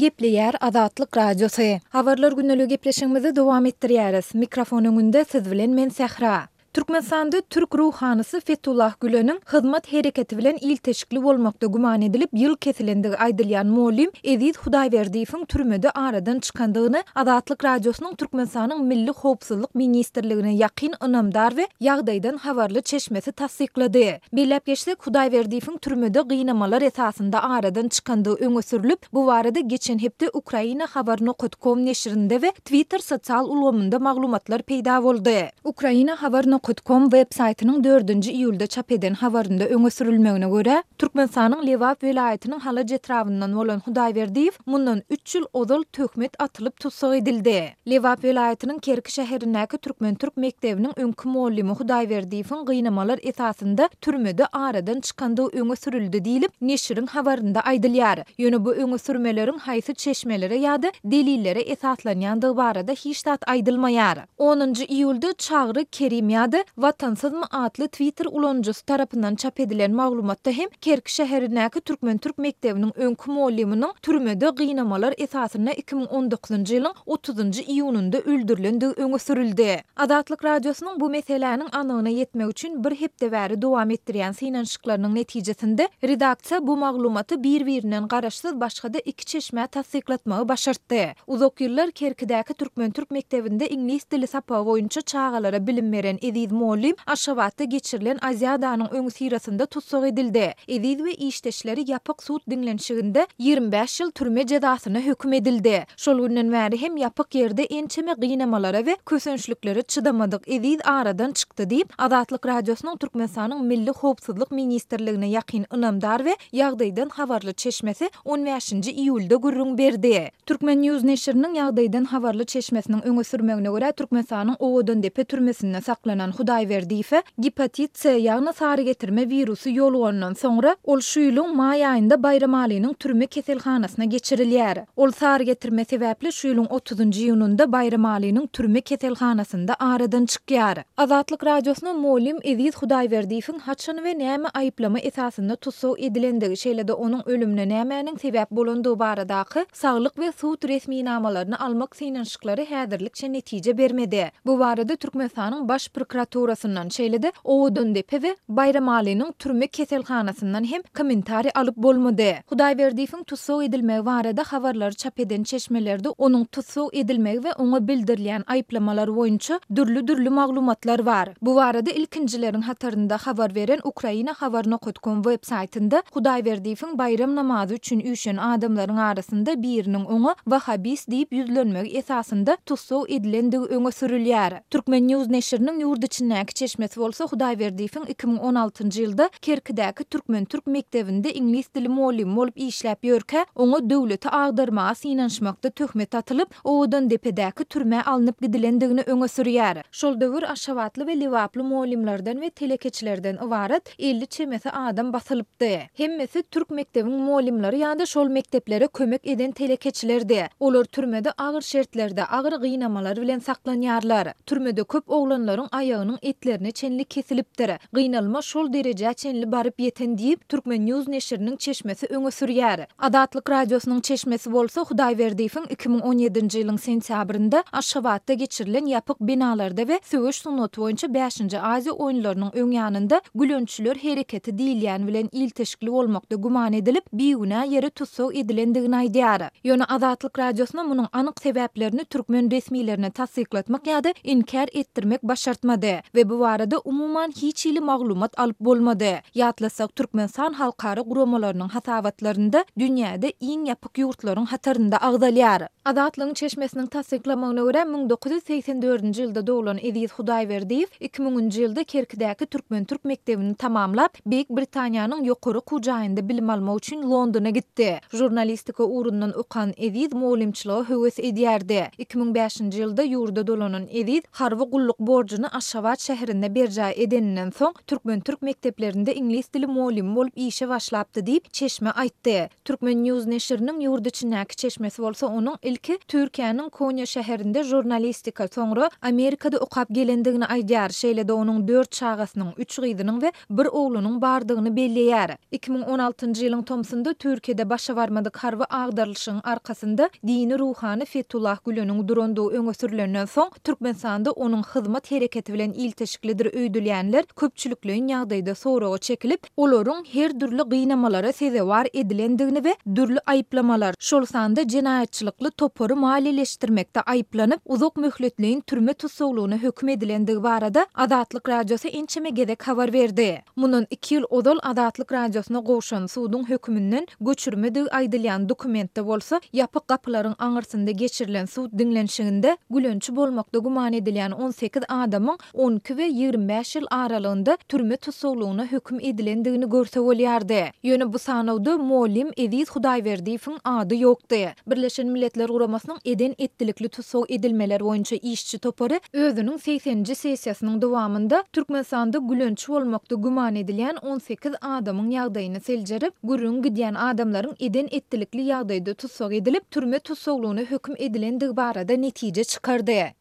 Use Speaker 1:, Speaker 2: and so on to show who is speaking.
Speaker 1: Gepleýär Azatlyk Radiosy. Habarlar gündeligi gepleşigimizi dowam etdirýäris. Mikrofon öňünde siz bilen men Sähra. Türkmenistanda türk ruhanysy Fetullah Güleniň Hyzmat hereketi bilen ilteşikli bolmakda güman edilip ýyl kesilendigi aýdylýan mugallym Eziz Hudaýberdiýewiň türmede aradan çykandygyny Azatlyk Radiosynyň Türkmenistanyň Milli howpsuzlyk ministrligine ýakyn ynamdar we ýagdaýdan habarly çeşmesi tassyklady. Belläp geçsek, Hudaýberdiýewiň türmede gynamalar esasynda aradan çykandygy öňe sürlüp, bu barada geçen hepde Ukraina Habar nokat kom neşirinde we Twitter sosial ulgamynda maglumatlar peýda boldy. Ukraina Habar nokat kom web saýtynyň dördünji iýulda çap eden habarynda öňe sürülmegine görä, Türkmenistanyň Lebap welaýatynyň Halaç etrabyndan bolan Hudaýberdiýew mundan üç ýyl ozal töhmet atylyp tussag edildi. Lebap welaýatynyň Kerki şäherindäki türkmen-türk mekdebiniň öňki mugallymy Hudaýberdiýewiň gynamalar esasynda türmede aradan çykandygy öňe sürüldi diýlip, neşiriň habarynda aýdylýar. Ýöne bu öňe sürmeleriň haýsy çeşmelere ýa-da delillere esaslanýandygy barada hiç zat aýdylmaýar. Onunjy iýulda Çagry Kerim ýa-da Watansyzmy atly Twitter ulanyjysy tarapyndan çap edilen maglumatda hem Kerki şäherindäki türkmen-türk mekdebiniň öňki mugallymynyň türmede gynamalar esasynda 2019-njy ýylyň otuzynjy iýunynda öldürilendigi öňe sürüldi. Azatlyk Radiosynyň bu meseläniň anygyna ýetmek üçin bir hepde bäri dowam etdirýän synanyşyklarynyň netijesinde, redaksiýa bu maglumaty bir-birinden garaşsyz başga-da iki çeşmä tassyklatmagy başartdy. Uzak ýyllar Kerkidäki türkmen-türk mekdebinde iňlis dili sapagy boýunça çagalara bilim beren Eziz mugallym Aşgabatda geçirilen Aziadanyň öňüsyrasynda tussag edildi. Eziz we işdeşleri ýapyk sud diňlenişiginde 25 ýyl türme jezasyna höküm edildi. Şol günden bäri hem ýapyk ýerde ençeme gynamalara we kösençliklere çydamadyk Eziz aradan çykdy diýip, Azatlyk Radiosynyň Türkmenistanyň Milli howpsuzlyk ministrligine ýakyn ynamdar we ýagdaýdan habarly çeşmesi on bäşinji iýulda gürrüň berdi. Turkmen. News neşiriniň ýagdaýdan habarly çeşmesiniň öňe sürmegine görä, Türkmenistanyň Owadandepe türmesinde saklanan Hudaýberdiýewe gepatit C, ýagny sarygetirme wirusy ýolugandan soňra, ol şu ýylyň maý aýynda Baýramalynyň türme keselhanasyna geçirilýär. Ol sarygetirme sebäpli şu ýylyň otuzynjy iýunynda Baýramalynyň türme keselhanasynda aradan çykýar. Azatlyk Radiosyna mugallym Eziz Hudaýberdiýewiň haçan we näme aýyplama esasynda tussag edilendigi, şeýle-de onuň ölümine nämäniň sebäp bolandygy baradaky saglyk we sud resminamalaryny almak synanyşyklary häzirlikçe netije bermedi. Bu barada Türkmenistanyň Baş prokuraturasyndan, şeýle-de Owadandepe we Baýramalynyň türme keselhanasyndan hem kommentariý alyp bolmady. Hudaýberdiýewiň tussag edilmegi barada habarlary çap eden çeşmelerde onuň tussag edilmegi we oňa bildirilýän aýyplamalar boýunça dürli-dürli maglumatlar bar. Bu barada ilkinjileriň hatarynda habar beren Ukraina Habar nokat kom web saýtynda Hudaýberdiýewiň baýram namazy üçin üýşen adamlaryň arasynda biriniň oňa wahabist diýip ýüzlenmegi esasynda tussag edilendigi öňe sürülýär. Turkmen. News neşiriniň ýurt içindäki çeşmesi bolsa Hudaýberdiýewiň 2016-njy ýylda Kerkidäki türkmen-türk mekdebinde iňlis dili mugallymy bolup işläp ýörkä, oňa döwleti agdarmaga synanyşmakda töhmet atylyp, Owadandepedäki türmä alnyp gidilendigini öňe sürýär. Şol döwür aşgabatly we lebaply mugallymlardan we telekeçilerden ybarat 50 çemesi adam basylypdy. Hemmesi türk mekdebiň mugallymlary ýa-da şol mekdeplere kömek eden telekeçilerdi. Olar türmede agyr şertlerde, agyr gynamalar bilen saklanýarlar. Türmede köp oglanlaryň aýagynyň etlerine çenli kesilipdir. Gynalma şol derejä çenli baryp ýeten diýip, Turkmen. News neşiriniň çeşmesi öňe sürýär. Azatlyk Radiosynyň çeşmesi bolsa Hudaýberdiýewiň 2017-nji ýylyň sentýabrynda Aşgabatda geçirilen ýapyk binalarda we söweş sungaty boýunça bäşinji Aziýa oýunlarynyň öň ýanynda Gülençiler hereketi diýilýän bilen ilteşikli bolmakda güman edilip, bigünä ýere tussag edilendigini aýdýar. Ýöne Azatlyk Radiosyna munuň anyk sebäplerini türkmen resmilerine tassyklatmak ýa-da inkär etdirmek başartmady we bu barada umuman hiç hili maglumat alyp bolmady. Ýatlasak, Türkmenistan halkara guramalarynyň hasabatlarynda dünýäde iň ýapyk ýurtlaryň hatarynda agzalýar. Azatlygyň çeşmesiniň tassyklamagyna görä, 1984-nji ýylda doglan Eziz Hudaýberdiýew iki müňünji ýylda Kerkidäki türkmen-türk mekdebini tamamlap, Beýik Britaniýanyň ýokary okuw jaýynda bilim almak üçin Londona gitdi. Žurnalistika ugrundan okan Eziz mugallymçylyga höwes edýärdi. 2005-nji ýylda ýurda dolanan Eziz harby gulluk borjuny Aşgabatda. Aşgabat şäherinde berjaý edeninden soň, türkmen-türk mekdeplerinde iňlis dili mugallymy bolup işe başlapdy diýip, çeşme aýtdy. Turkmen. News neşiriniň ýurt içindäki çeşmesi bolsa onuň ilki Türkiýäniň Konýa şäherinde žurnalistika, soňra Amerikada okap gelendigini aýdýar, şeýle-de onuň dört çagasynyň, üç gyzynyň we bir oglunyň bardygyny belleýär. 2016-njy ýylyň tomsunda Türkiýede başa barmadyk harby agdarylyşygyň arkasynda dini ruhany Fetullah Güleniň durandygy öňe sürlenden soň, Türkmenistanda onuň Hyzmat hereketi bilen ilteşiklidir öýdülýänler köpçülikleýin ýagdaýda soraga çekilip, olaryň her dürli gynamalara sezewar edilendigini we dürli aýyplamalar, şol sanda jenaýatçylykly topary maliýeleşdirmekde aýyplanyp, uzak möhletleýin türme tussaglygyna höküm edilendigi barada Azatlyk Radiosy ençeme gezek habar berdi. Mundan iki ýyl ozal Azatlyk Radiosyna gowşan suduň höküminden göçürmedigi aýdylýan dokumentde bolsa, ýapyk gapylaryň aňyrsynda geçirilen sud diňlenişiginde gülençi bolmakda güman edilýän 18 adamyň 12 we 25 ýyl aralygynda türme tussaglygyna höküm edilendigini görse bolýardy. Ýöne bu sanawda mugallym Eziz Hudaýberdiýewiň ady ýokdy. Birleşen Milletler Guramasynyň eden-etdilikli tussag edilmeler boýunça işçi topary özüniň segseninji sessiýasynyň dowamynda Türkmenistanda gülençi bolmakda güman edilýän 18 adamyň ýagdaýyny seljerip, gürrüňi gidýän adamlaryň eden-etdilikli ýagdaýda tussag edilip, türme tussaglygyna höküm edilendigi barada netije çykardy.